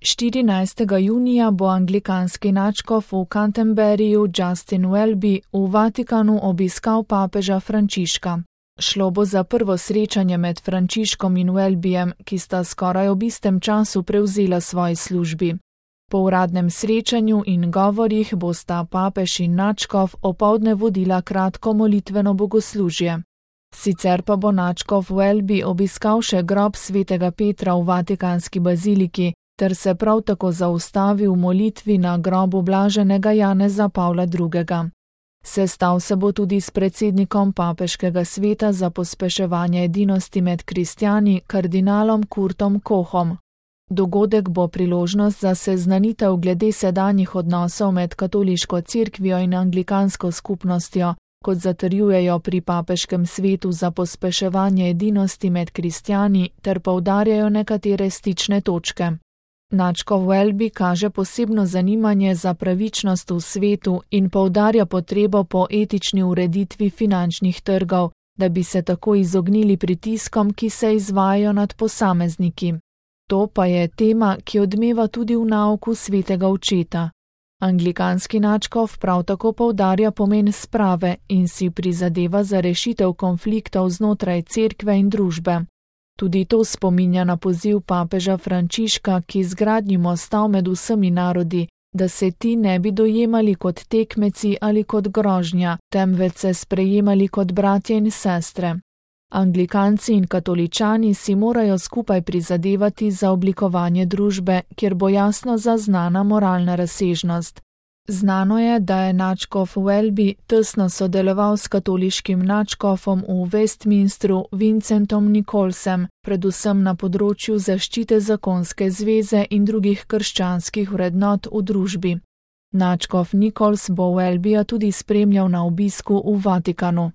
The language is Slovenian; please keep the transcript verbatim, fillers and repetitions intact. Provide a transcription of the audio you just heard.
štirinajstega junija bo anglikanski nadškof v Canterburyju Justin Welby v Vatikanu obiskal papeža Frančiška. Šlo bo za prvo srečanje med Frančiškom in Welbyjem, ki sta skoraj ob istem času prevzela svoji službi. Po uradnem srečanju in govorih bosta papež in nadškof opoldne vodila kratko molitveno bogoslužje. Sicer pa bo nadškof Welby obiskal še grob svetega Petra v Vatikanski baziliki ter se prav tako zaustavil v molitvi na grobu blaženega Janeza Pavla drugega. Sestal se bo tudi s predsednikom papeškega sveta za pospeševanje edinosti med kristjani, kardinalom Kurtom Kohom. Dogodek bo priložnost za seznanitev glede sedanjih odnosov med katoliško cerkvijo in anglikansko skupnostjo, kot zatrjujejo pri papeškem svetu za pospeševanje edinosti med kristjani ter poudarjajo nekatere stične točke. Nadškof Welby kaže posebno zanimanje za pravičnost v svetu in poudarja potrebo po etični ureditvi finančnih trgov, da bi se tako izognili pritiskom, ki se izvajajo nad posamezniki. To pa je tema, ki odmeva tudi v nauku svetega očeta. Anglikanski nadškof prav tako poudarja pomen sprave in si prizadeva za rešitev konfliktov znotraj cerkve in družbe. Tudi to spominja na poziv papeža Frančiška k izgradnji mostov med vsemi narodi, da se ti ne bi dojemali kot tekmeci ali kot grožnja, temveč se sprejemali kot bratje in sestre. Anglikanci in katoličani si morajo skupaj prizadevati za oblikovanje družbe, kjer bo jasno zaznana moralna razsežnost. Znano je, da je nadškof Welby tesno sodeloval s katoliškim nadškofom v Westminstru Vincentom Nicholsem, predvsem na področju zaščite zakonske zveze in drugih krščanskih vrednot v družbi. Nadškof Nichols bo Welbyja tudi spremljal na obisku v Vatikanu.